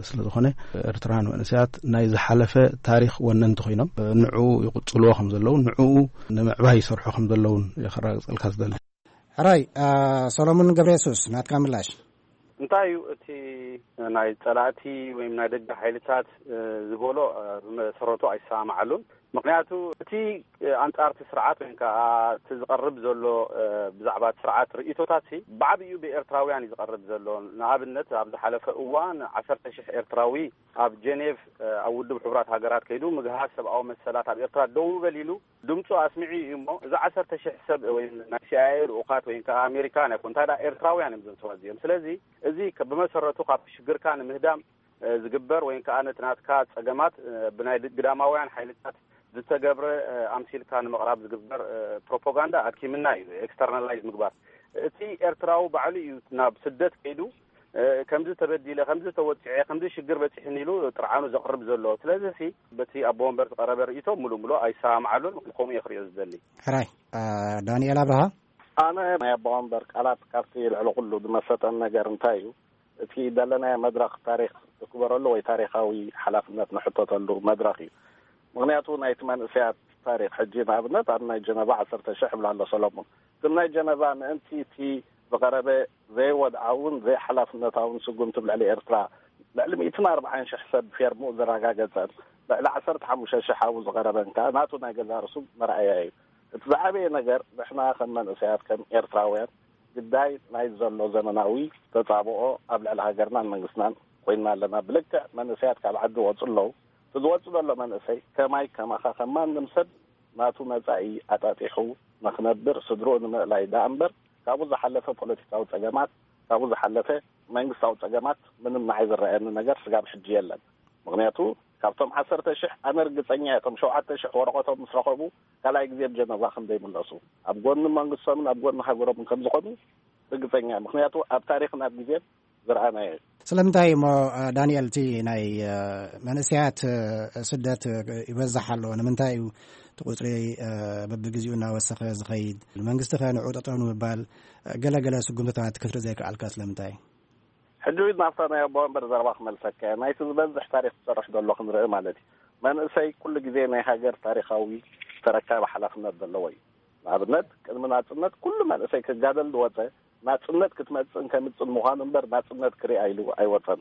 ስለ ዝኾነ፣ ኤርትራውያን መንእሰያት ናይ ዝሓለፈ ታሪኽ ወነንቲ ኮይኖም፣ ንዕኡ ይቕጽልዎ ከም ዘለዉ፣ ንዕኡ ንምዕባይ ይሰርሑ ከም ዘለዉን እየ ከረጋግጸልካ ዝደሊ። ሕራይ፣ አ፣ ሰሎሞን ገብረ የሱስ፣ ናትካ ምላሽ። እንታይ እዩ እቲ ናይ ጸላእቲ ወይም ናይ ደገ ሓይልታት፣ እ፣ ዝበሎ፣ እ፣ ብመሰረቱ ኣይሰማማዓሉን። ምኽንያቱ እቲ፣ እ፣ ኣንጻርቲ ስርዓት ወይም ከኣ እቲ ዝቐርብ ዘሎ፣ እ፣ ብዛዕባ እቲ ስርዓት ርእይቶታት ሲ ብዓብዩ ብኤርትራውያን እዩ ዝቐርብ ዘሎ። ንኣብነት ኣብ ዝሓለፈ እዋን ዓሰርተ ሽሕ ኤርትራዊ ኣብ ጀኔቭ፣ እ፣ ኣብ ውድብ ሕቡራት ሃገራት ከይዱ ምግሃስ ሰብኣዊ መሰላት ኣብ ኤርትራ ደው በል ኢሉ ድምጹ ኣስሚዑ እዩ እሞ፣ እዚ ዓሰርተ ሽሕ ሰብ ወይ ናይ ሲ ኣይ ኤ ልኡኻት ወይ ከኣ ኣሜሪካውያን ኣይኮን፣ እንታይ ደኣ ኤርትራውያን እዮም እዞም ሰባት እዚኦም። ስለዚ እዚ ከ-፣ ብመሰረቱ ካብቲ ሽግርካ ንምህዳም፣ እ፣ ዝግበር ወይ ከኣ ነቲ ናትካ ጸገማት፣ እ፣ ብናይ ድ-፣ ግዳማውያን ሓይልታት ዝተገብረ፣ እ፣ ኣምሲልካ ንምቕራብ ዝግበር፣ እ፣ ፕሮፓጋንዳ ኣድኪምና እዩ፣ ኤክስተርናላይዝ ምግባር። እቲ ኤርትራዊ ባዕሉ እዩ ናብ ስደት ከይዱ፣ እ፣ ከምዚ ተበዲለ፣ ከምዚ ተወጺዐ፣ ከምዚ ሽግር በጺሕኒ ኢሉ ጥርዓኑ ዘቕርብ ዘሎ። ስለዚ ሲ በቲ ኣቦ ወንበር ዝቐረበ ርእይቶ ምሉእ ምሉእ ኣይሰማማዓሉን፣ ከምኡ እየ ክርእዮ ዝደሊ። ሕራይ፣ እ፣ ዳንኤል ኣብርሃ። ኣነ ናይ ኣቦ ወንበር ቃላት ካብቲ ልዕሊ ኩሉ ዝመሰጠን ነገር እንታይ እዩ፣ እቲ ዘለናዮ መድረኽ ታሪኽ ዝክበረሉ ወይ ታሪኻዊ ሓላፍነት ንሕተተሉ መድረኽ እዩ። ምኽንያቱ ናይቲ መንእሰያት ታሪኽ ሕጂ ንኣብነት ኣብ ናይ ጀነቫ ዓሰርተ ሽሕ ይብላ ኣሎ ሰሎሞን። ግን ናይ ጀነቫ ምእንቲ እቲ ዝቐረበ ዘይወድዓውን ዘይሓላፍነታውን ስጉምቲ ኣብ ልዕሊ ኤርትራ ልዕሊ ሚእትን ኣርባዓን ሽሕ ሰብ ፌርምኡ ዘረጋገጸን ልዕሊ ዓሰርተ ሓሙሽተ ሽሕ ኣብኡ ዝቐረበን ከኣ ናቱ ናይ ገዛእ ርእሱ መርኣያ እዩ። እቲ ዝዓበየ ነገር ንሕና ከም መንእሰያት ከም ኤርትራውያን ግዳይ ናይ ዘሎ ዘመናዊ ተጻብኦ ኣብ ልዕሊ ሃገርናን መንግስትናን ኮይንና ኣለና። ብልክዕ መንእሰያት ካብ ዓዲ ወጹ ኣለዉ። እቲ ዝወጽእ ዘሎ መንእሰይ ከማይ ከማኻ ከም ማንም ሰብ ናቱ መጻኢ ኣጣጢሑ ንኽነብር ስድርኡ ንምእላይ ደኣ እምበር ካብኡ ዝሓለፈ ፖለቲካዊ ጸገማት፣ ካብኡ ዝሓለፈ መንግስታዊ ጸገማት ምንም ንዓይ ዝረኣየኒ ነገር ስጋብ ሕጂ የለን። ምኽንያቱ ካብቶም ዓሰርተ ሽሕ ኣነ ርግጸኛ እየ፣ እቶም ሸውዓተ ሽሕ ወረቐቶም ምስ ረኸቡ ካልኣይ ግዜ ኣብ ጀነቫ ከም ዘይምለሱ፣ ኣብ ጎኒ መንግስቶምን ኣብ ጎኒ ሃገሮምን ከም ዝኾኑ ርግጸኛ እየ። ምኽንያቱ ኣብ ታሪኽን ኣብ ግዜን ዝረኣናዮ እዩ። ስለምንታይ እሞ፣ እ፣ ዳንኤል፣ እቲ ናይ፣ እ፣ መንእሰያት፣ እ፣ ስደት፣ እ፣ ይበዝሕ ኣሎ? ንምንታይ እዩ እቲ ቁጽሪ፣ እ፣ በብግዜኡ እናወሰኸ ዝኸይድ? መንግስቲ ኸ ንዑ ጠጠው ንምባል፣ እ፣ ገለ ገለ ስጉምትታት ክትርኢ ዘይከኣልካ ስለምንታይ? ሕጂ እውን ናብታ ናይ ኣቦ ወንበር ዘረባ ክመልሰካ እየ። ናይቲ ዝበዝሕ ታሪኽ ዝሰርሕ ዘሎ ክንርኢ ማለት እዩ። መንእሰይ ኩሉ ግዜ ናይ ሃገር ታሪኻዊ ተረካቢ ሓላፍነት ዘለዎ እዩ። ንኣብነት፣ ቅድሚ ናጽነት ኩሉ መንእሰይ ክጋደል ዝወጸ፣ ናጽነት ክትመጽእን ከምጽእን ምዃኑ እምበር ናጽነት ክሪኣ ኢሉ ኣይወጸን።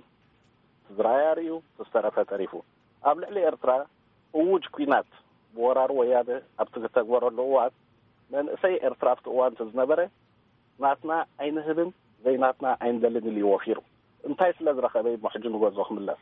እቲ ዝረኣየ ኣርእዩ፣ እቲ ዝተረፈ ተሪፉ። ኣብ ልዕሊ ኤርትራ እዉጅ ኲናት ብወራር ወያነ ኣብቲ ዝተግበረሉ እዋን፣ መንእሰይ ኤርትራ ኣብቲ እዋን እቲ ዝነበረ፣ ናትና ኣይንህብን፣ ዘይናትና ኣይንደልን ኢሉ እዩ ወፊሩ። እንታይ ስለ ዝረኸበ እዩ እሞ ሕጂ ንገዝኦ ክምለስ?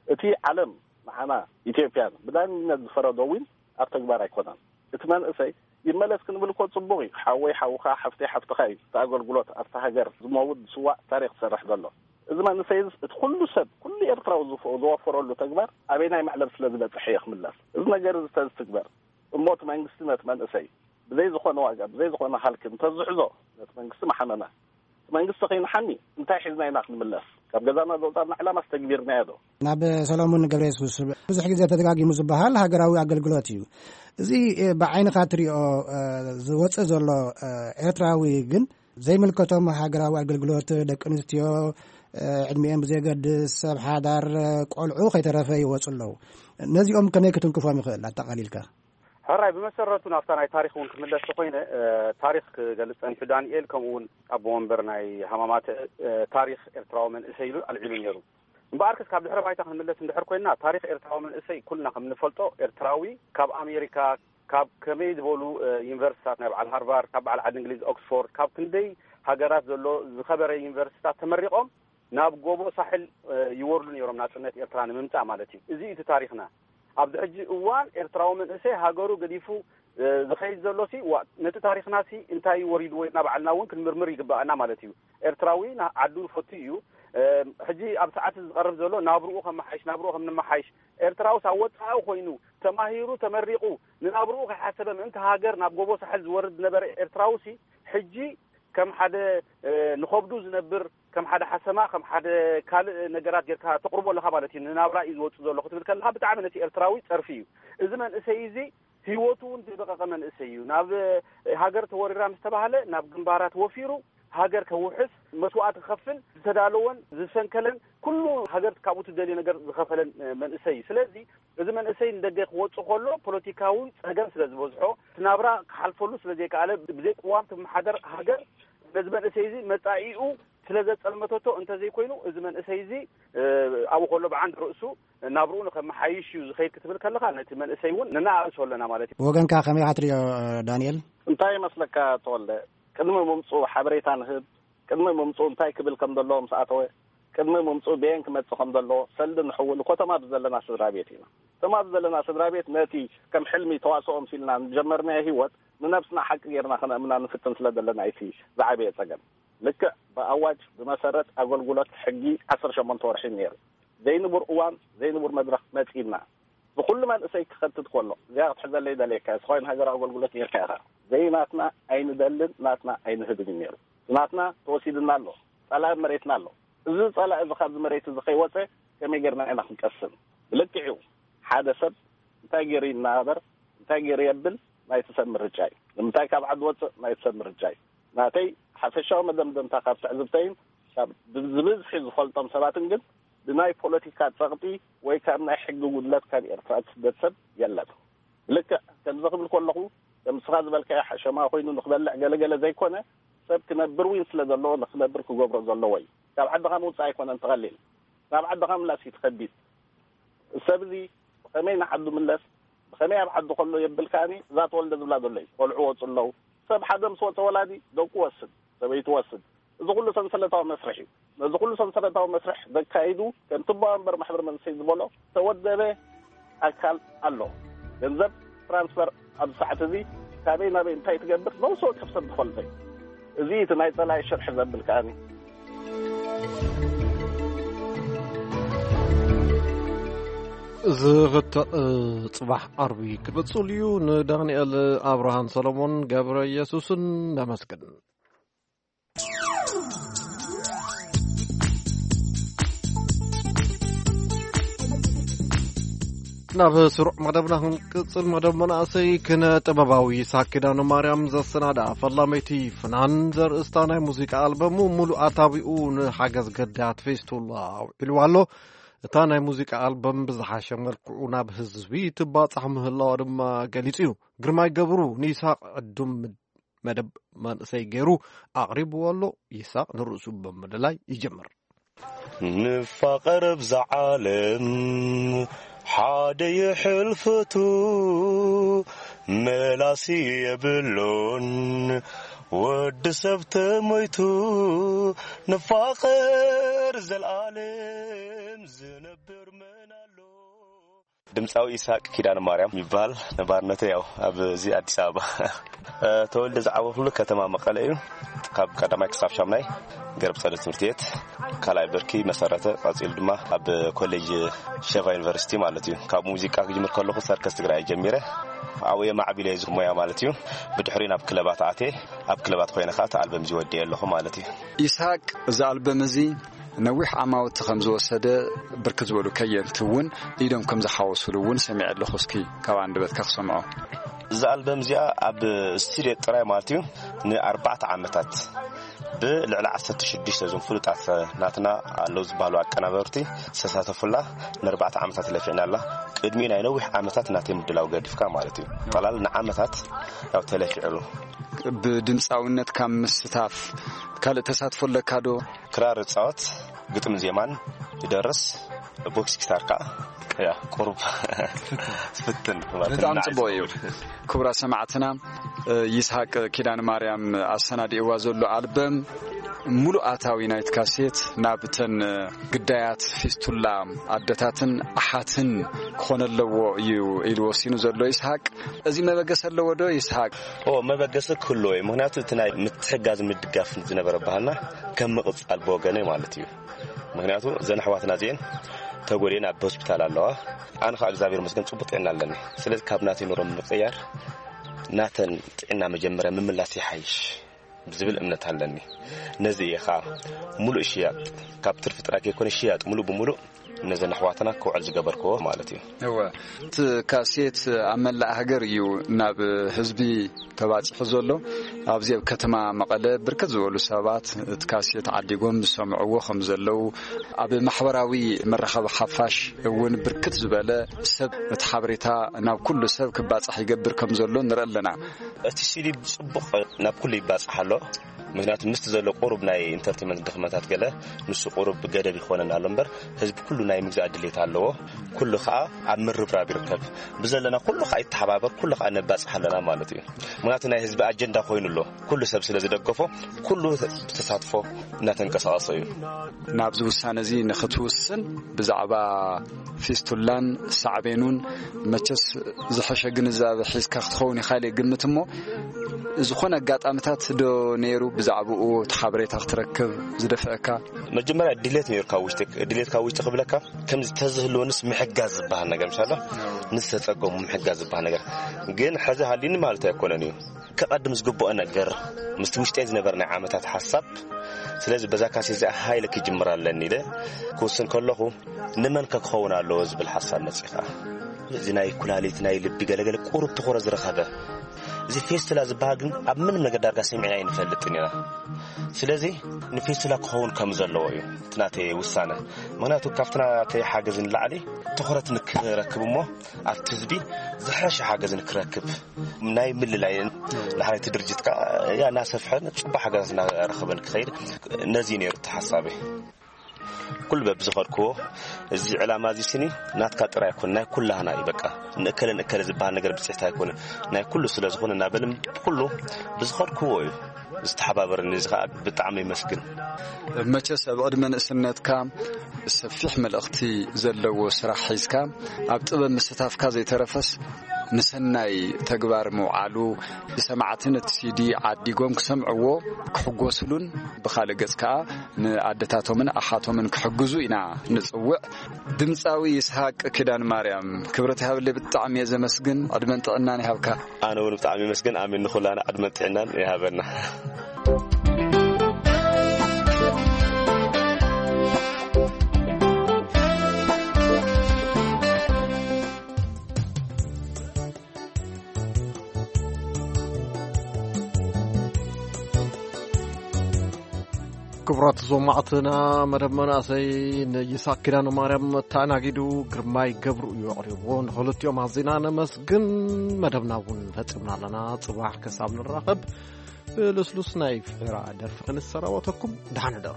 እቲ ዓለም ንዓና ኢትዮጵያን ብዳንነት ዝፈረዶ እውን ኣብ ተግባር ኣይኮነን። እቲ መንእሰይ ይመለስ ክንብል እኮ ጽቡቕ እዩ። ሓወይ ሓውኻ፣ ሓፍተይ ሓፍትኻ እዩ እቲ ኣገልግሎት ኣብታ ሃገር ዝመውት ዝስዋእ ታሪኽ ዝሰርሕ ዘሎ። እዚ መንእሰይ እዚ እቲ ኩሉ ሰብ፣ ኩሉ ኤርትራዊ ዝፈ- ዝወፈረሉ ተግባር ኣበይናይ መዕለብ ስለ ዝበጽሐ እየ ክምለስ። እዚ ነገር እዚ ተዝትግበር እሞ እቲ መንግስቲ ነቲ መንእሰይ ብዘይ ዝኾነ ዋጋ፣ ብዘይ ዝኾነ ሃልኪ እንተዝሕዞ ነቲ መንግስቲ መሓመመ። እቲ መንግስቲ ከይንሓሚ እንታይ ሒዝና ኢና ክንምለስ? ካብ ገዛና ዘውጻና ዕላማ ኣስተግቢርናዮ ዶ? ናብ ሰሎሞን ገብረ የሱስ ብዙሕ ግዜ ተደጋጊሙ ዝበሃል ሃገራዊ ኣገልግሎት እዩ። እዚ ብዓይንኻ ትሪኦ ዝወፅእ ዘሎ ኤርትራዊ ግን ዘይምልከቶም ሃገራዊ ኣገልግሎት ደቂ ኣንስትዮ፣ ዕድሚኦም ብዘየገድስ ሰብ ሓዳር፣ ቆልዑ ከይተረፈ ይወፁ ኣለዉ። ነዚኦም ከመይ ክትንክፎም ይኽእል ኣጠቓሊልካ? ሕራይ ብመሰረቱ ናብታ ናይ ታሪኽ እውን ክምለስ ተኮይነ ታሪኽ ክገልፅ ፀኒሑ ዳንኤል ከምኡ እውን ኣቦ ወንበር ናይ ሃማማት ታሪኽ ኤርትራዊ መንእሰይ ኢሉ ኣልዒሉ ነይሩ። እምበኣርከስ ካብ ድሕረ ባይታ ክንምለስ እንድሕር ኮይና ታሪኽ ኤርትራዊ መንእሰይ ኩልና ከም ንፈልጦ ኤርትራዊ ካብ ኣሜሪካ ካብ ከመይ ዝበሉ ዩኒቨርሲታት ናይ በዓል ሃርቫርድ ካብ በዓል ዓዲ እንግሊዝ ኦክስፎርድ ካብ ክንደይ ሃገራት ዘሎ ዝኸበረ ዩኒቨርሲታት ተመሪቖም ናብ ጎቦ ሳሕል ይወርዱ ነይሮም ናፅነት ኤርትራ ንምምፃእ ማለት እዩ። እዚ እቲ ታሪኽና። ኣብዚ ሕጂ እዋን ኤርትራዊ መንእሰይ ሃገሩ ገዲፉ ዝኸይድ ዘሎ ሲ ዋ ነቲ ታሪኽና ሲ እንታይ ወሪድዎ ኢልና ባዕልና እውን ክንምርምር ይግባኣና ማለት እዩ። ኤርትራዊ ዓዱ ፈቱ እዩ። ሕጂ ኣብ ሰዓት ዝቐርብ ዘሎ ናብርኡ ከመሓይሽ ናብርኡ ከም ንመሓይሽ ኤርትራውስ ኣብ ወፃኢ ኮይኑ ተማሂሩ ተመሪቑ ንናብርኡ ከይሓሰበ ምእንቲ ሃገር ናብ ጎቦ ሳሕል ዝወርድ ዝነበረ ኤርትራውሲ ሕጂ ከም ሓደ ንኸብዱ ዝነብር ከም ሓደ ሓሰማ ከም ሓደ ካልእ ነገራት ጌርካ ተቕርቦ ኣለኻ ማለት እዩ። ንናብራ እዩ ዝወፅእ ዘሎ ክትብል ከለኻ ብጣዕሚ ነቲ ኤርትራዊ ፀርፊ እዩ። እዚ መንእሰይ እዚ ህይወቱ እውን ዝደቐቐ መንእሰይ እዩ። ናብ ሃገር ተወሪራ ምስ ተባህለ ናብ ግንባራት ወፊሩ ሃገር ከውሕስ መስዋእቲ ክኸፍል ዝተዳለወን ዝሰንከለን ኩሉ ሃገር ካብኡ ትደልዮ ነገር ዝኸፈለን መንእሰይ እዩ። ስለዚ እዚ መንእሰይ ንደገ ክወፅእ ከሎ ፖለቲካዊ ፀገም ስለ ዝበዝሖ እቲ ናብራ ክሓልፈሉ ስለ ዘይከኣለ ብዘይ ቅዋም ትመሓደር ሃገር ነዚ መንእሰይ እዚ መፃኢኡ ስለ ዘፀልመተቶ እንተዘይኮይኑ እዚ መንእሰይ እዚ ኣብኡ ከሎ ብዓንድ ርእሱ ናብርኡ ንኸመሓይሽ እዩ ዝኸይድ ክትብል ከለኻ ነቲ መንእሰይ እውን ነናኣእሶ ኣለና ማለት እዩ። ብወገንካ ከመይ ኢኻ ትሪኦ ዳንኤል? እንታይ ይመስለካ ተወልደ? ቅድሚ ምምፅኡ ሓበሬታ ንህብ፣ ቅድሚ ምምፅኡ እንታይ ክብል ከም ዘለዎ ምስ ኣተወ፣ ቅድሚ ምምፅኡ በየን ክመፅእ ከም ዘለዎ ሰልዲ ንሕውል እኮ እቶም ኣብዚ ዘለና ስድራ ቤት ኢና። እቶም ኣብዚ ዘለና ስድራ ቤት ነቲ ከም ሕልሚ ተዋስኦ መሲልና ንጀመርናዮ ህይወት ንነብስና ሓቂ ጌርና ከነእምና ንፍትን ስለ ዘለና እዩ እቲ ዝዓበየ ፀገም። ልክዕ ብኣዋጅ ብመሰረት ኣገልግሎት ሕጊ ዓሰርተ ሸሞንተ ወርሒ ነይሩ። ዘይንቡር እዋን ዘይንቡር መድረኽ መፂእና። ብኩሉ መንእሰይ ክኸትት ከሎ እዚኣ ክትሕዘለይ ደልየካ እየ። ስኻይን ሃገር ኣገልግሎት ነርካ ኢኻ። ዘይናትና ኣይንደልን ናትና ኣይንህብን እዩ ነይሩ። ናትና ተወሲድና ኣሎ። ጸላኢ መሬትና ኣሎ። እዚ ጸላኢ እዚ ካብዚ መሬት እዚ ከይወፀ ከመይ ጌርና ኢና ክንቀስን? ብልክዕ እዩ። ሓደ ሰብ እንታይ ገይሩ ይናበር እንታይ ገይሩ የብል ናይቲ ሰብ ምርጫ እዩ። ንምንታይ ካብ ዓዲ ወፅእ ናይቲ ሰብ ምርጫ እዩ። ናተይ ሓፈሻዊ መደምደምታ ካብ ትዕዝብተይን ካብ ብዝብዝሒ ዝፈልጦም ሰባትን ግን ብናይ ፖለቲካ ፀቕጢ ወይ ካብ ናይ ሕጊ ጉድለት ካብ ኤርትራ ትስደድ ሰብ የለን። ልክዕ ከምዚ ክብል ከለኹ ከም ንስኻ ዝበልካዮ ሓሸማ ኮይኑ ንክበልዕ ገለገለ ዘይኮነ ሰብ ክነብር ውን ስለ ዘለዎ ንክነብር ክገብሮ ዘለዎ እዩ። ካብ ዓድኻ ምውፃእ ኣይኮነን ትቐሊል ናብ ዓድኻ ምላስ እዩ ትኸቢድ። ሰብ እዚ ብኸመይ ንዓዱ ምለስ ብኸመይ ኣብ ዓዱ ከሎ የብል ከኣኒ እዛ ተወልደ ዝብላ ዘሎ እዩ። ቆልዑ ወፁ ኣለዉ። ሰብ ሓደ ምስ ወፀ ወላዲ ደቁ ወስድ ሰበይቱ ወስድ እዚ ኩሉ ሰንሰለታዊ መስርሕ እዩ። ነዚ ኩሉ ሰንሰለታዊ መስርሕ ዘካይዱ ከምቲ ኣቦ ወንበር ማሕበር መንእሰይ ዝበሎ ተወደበ ኣካል ኣሎ። ገንዘብ ትራንስፈር ኣብዚ ሰዓት እዚ ካበይ ናበይ እንታይ ትገብር ነብሲ ወከፍ ሰብ ዝፈልጦ እዩ። እዚ እቲ ናይ ፀላኢ ሽርሒ ዘብል ከኣኒ ዝኽተእ ፅባሕ ዓርቢ ክቕፅል እዩ። ንዳንኤል ኣብርሃን ሰሎሞን ገብረ ኢየሱስን ነመስግን። ናብ ስሩዕ መደብና ክንቅፅል መደብ መናእሰይ ክነ ጥበባዊ ሳኪዳነ ማርያም ዘሰናዳ ፈላመይቲ ፍናን ዘርእስታ ናይ ሙዚቃ ኣልበሙ ሙሉእ ኣታዊኡ ንሓገዝ ገዳያት ፌስቱላ ኣውዒሉ ኣሎ። እታ ናይ ሙዚቃ ኣልበም ብዝሓሸ መልክዑ ናብ ህዝቢ ትባፃሕ ምህላዋ ድማ ገሊፁ እዩ። ግርማይ ገብሩ ንይስሃቅ ዕዱም መደብ መንእሰይ ገይሩ ኣቕሪብዎ ኣሎ። ይስሃቅ ንርእሱ ብምልላይ ይጅምር። ንፋቐር ኣብዛ ዓለም ሓደ ይሕልፈቱ መላሲ የብሉን ወዲ ሰብ ተሞይቱ ንፋቐር ዘልኣለም ዝነብር መን ኣሎ። ድምፃዊ ኢሳቅ ኪዳነ ማርያም ይበሃል። ነባርነተ ያው ኣብዚ ኣዲስ ኣበባ። ተወልደ ዝዓበኹሉ ከተማ መቐለ እዩ። ካብ ቀዳማይ ክሳብ ሻምናይ ገርብ ጸደት ትምህርቲ ቤት፣ ካልኣይ ብርኪ መሰረተ፣ ቀጺሉ ድማ ኣብ ኮሌጅ ሸቫ ዩኒቨርሲቲ ማለት እዩ። ካብ ሙዚቃ ክጅምር ከለኹ ሰርከስ ትግራይ ጀሚረ። ኣብኡ የማዕቢለ እዚ ሞያ ማለት እዩ። ብድሕሪ ናብ ክለባት ኣቴ፣ ኣብ ክለባት ኮይነ ከዓ እቲ ኣልበም እዚ ወዲኤ ኣለኹ ማለት እዩ። ኢስሃቅ፣ እዚ ኣልበም እዚ ነዊሕ ዓማውቲ ከም ዝወሰደ፣ ብርክት ዝበሉ ከየንቲ እውን ኢዶም ከም ዝሓወሱሉ እውን ሰሚዐ ኣለኹ። እስኪ ካብ ኣንደበትካ ክሰምዖ። እዚ ኣልበም እዚኣ ኣብ ስቱድዮ ጥራይ ማለት እዩ ንኣርባዕተ ዓመታት ብልዕሊ ዓሰርተ ሽዱሽተ እዞም ፍሉጣት ናትና ኣለዉ ዝበሃሉ ኣቀናበርቲ ዝተሳተፉላ ንኣርባዕተ ዓመታት ለፊዕናላ። ቅድሚኡ ናይ ነዊሕ ዓመታት ናተይ ምድላው ገዲፍካ ማለት እዩ። ጠላል ንዓመታት ያው ተለፊዕሉ። ብድምፃውነት ካብ ምስታፍ ካልእ ተሳትፎ ኣለካ ዶ? ክራር እጻወት፣ ግጥም ዜማን ይደርስ፣ ቦክስ ጊታር ከኣ ያ ቁሩብ ፍትን ማለት ብጣዕሚ ንዓይ ጽቡቕ እዩ። ዝኸውን። ክቡራት ሰማዕትና፣ እ፣ ይስሐቅ ኪዳነ ማርያም ኣሰናዲእዋ ዘሎ ኣልበም፣ ሙሉእ ኣታዊ ናይቲ ካሴት ናብተን፣ እ፣ ግዳያት ፊስቱላ ኣደታትን ኣሓትን ክኾነ ኣለዎ እዩ ኢሉ ወሲኑ ዘሎ ይስሐቅ። እዚ መበገሲ ኣለዎ ዶ ይስሐቅ? ኦ፣ መበገሲ ክህልዎ እዩ። ምኽንያቱ እቲ ናይ ምትሕጋዝ ምድጋፍ ዝነበረ ባህልና ከም ምቕጻል ብወገነይ ማለት እዩ። ምኽንያቱ እዘን ኣሕዋትና እዚኤን ተጎዲኤን ኣብ ሆስፒታል ኣለዋ። ኣነ ኸዓ እግዚኣብሔር ይመስገን ጽቡቕ ጥዕና ኣለኒ። ስለዚ ካብ ናተይ ኑሮ ምቕያር ናተን ጥዕና መጀመርያ ምምላስ ይሓይሽ ዝብል እምነት ኣለኒ። ነዚ እየ ኸዓ ሙሉእ ሽያጥ፣ ካብ ትርፊ ጥራይ ከይኮነ ሽያጥ ሙሉእ ብምሉእ ነዘን ኣሕዋትና ክውዕል ዝገበርክዎ ማለት እዩ። እወ፣ እቲ ካሴት ኣብ መላእ ሃገር እዩ ናብ ህዝቢ ተባጺሑ ዘሎ። ኣብዚ ኣብ ከተማ መቐለ ብርክት ዝበሉ ሰባት እቲ ካሴት ዓዲጎም ዝሰምዕዎ ከም ዘለዉ፣ ኣብ ማሕበራዊ መራኸቢ ሓፋሽ እውን ብርክት ዝበለ ሰብ እቲ ሓበሬታ ናብ ኩሉ ሰብ ክባጻሕ ይገብር ከም ዘሎ ንርኢ ኣለና። እቲ ሲዲ ጽቡቕ ናብ ኩሉ ይባጻሕ ኣሎ። ምኽንያቱ ምስቲ ዘሎ ቁሩብ ናይ ኢንተርቴንመንት ድኽመታት ገለ ንሱ ቁሩብ ገደብ ይኾነና ኣሎ እምበር ህዝቢ ኩሉ ናይ ምግዛእ ድሌት ኣለዎ። ኩሉ ኸዓ ኣብ ምርብራብ ይርከብ። ብዘለና ኩሉ ኸዓ ይተሓባበር፣ ኩሉ ኸዓ ነባጽሕ ኣለና ማለት እዩ። ምኽንያቱ ናይ ህዝቢ ኣጀንዳ ኮይኑ ኣሎ። ኩሉ ሰብ ስለ ዝደገፎ ኩሉ ብተሳትፎ እናተንቀሳቐሰ እዩ። ናብዚ ውሳነ እዚ ንኽትውስን ብዛዕባ ፊስቱላን ሳዕቤኑን መቸስ ዝሐሸ ግንዛበ ሒዝካ ክትኸውን ኢኻ ኢለ ይግምት። እሞ ዝኾነ ኣጋጣምታት ዶ ነይሩ ብዛዕባኡ እቲ ሓበሬታ ክትረክብ ዝደፍአካ? መጀመርያ ድሌት ነይሩ ካብ ውሽጢ፣ ድሌት ካብ ውሽጢ ክብለካ ከምዚ ተዝህልወንስ ምሕጋዝ ዝበሃል ነገር፣ ምሳለ ንዝተጸገሙ ምሕጋዝ ዝበሃል ነገር ግን ሕዚ ሃልዩኒ ማለት ኣይኮነን እዩ። ከቐድም ዝግብኦ ነገር ምስቲ ውሽጠይ ዝነበረ ናይ ዓመታት ሓሳብ፣ ስለዚ በዛ ካሴት እዚኣ ሃይለ ክጅምር ኣለኒ ኢለ ክውስን ከለኹ፣ ንመን ከ ክኸውን ኣለዎ ዝብል ሓሳብ መጺኻ። እዚ ናይ ኩላሊት፣ ናይ ልቢ ገለገለ ቁሩብ ትኹረት ዝረኸበ። እዚ ፌስቱላ ዝበሃል ግን ኣብ ምንም ነገር ዳርጋ ሰሚዕና ኣይንፈልጥን ኢና። ስለዚ ንፌስቱላ ክኸውን ከም ዘለዎ እዩ እቲ ናተይ ውሳነ። ምኽንያቱ ካብቲ ናተይ ሓገዝ ንላዕሊ ትኹረት ንክረክብ እሞ ኣብቲ ህዝቢ ዝሐሸ ሓገዝ ንክረክብ ናይ ምልላይ ንሕና እቲ ድርጅት ከኣ ያ እናሰፍሐን ጽቡቕ ሓገዛት እናረኸበን ክኸይድ ነዚ እዩ ነይሩ እቲ ሓሳበይ። ኩሉ በብዝኸድክዎ እዚ ዕላማ እዚ ስኒ ናትካ ጥራይ ኣይኮን፣ ናይ ኩላህና እዩ። በቃ ንእከለ ንእከለ ዝበሃል ነገር ብጽሕቲ ኣይኮነ፣ ናይ ኩሉ ስለ ዝኾነ እናበልን ኩሉ ብዝኸድክዎ እዩ ዝተሓባበረኒ። እዚ ኸኣ ብጣዕሚ ይመስግን። መቸስ ኣብ ዕድመ ንእስነትካ ሰፊሕ መልእኽቲ ዘለዎ ስራሕ ሒዝካ ኣብ ጥበብ ምስታፍካ ዘይተረፈስ ንሰናይ ተግባር ምውዓሉ፣ ሰማዕትን እቲ ሲዲ ዓዲጎም ክሰምዕዎ ክሕጎስሉን ብኻልእ ገጽ ከኣ ንኣደታቶምን ኣሓቶምን ክሕግዙ ኢና ንጽውዕ። ድምጻዊ ይስሃቅ ኪዳን ማርያም፣ ክብረት ይሃበለይ፣ ብጣዕሚ እየ ዘመስግን። ዕድመን ጥዕናን ይሃብካ። ኣነ እውን ብጣዕሚ ይመስገን። ኣሜን። ንኹላና ዕድመን ጥዕናን ይሃበና። ክቡራት ሰማዕትና፣ መደብ መናእሰይ ንይስሃቅ ኪዳነ ማርያም ተኣናጊዱ ግርማይ ገብሩ እዩ ኣቕሪብዎ። ንኽልቲኦም ኣዚና ነመስግን። መደብና እውን ፈጺምና ኣለና። ጽባሕ ክሳብ ንራኸብ ብልስሉስ ናይ ፍሒራ ደርፊ ክንሰናበተኩም፣ ደሓን ሕደሩ።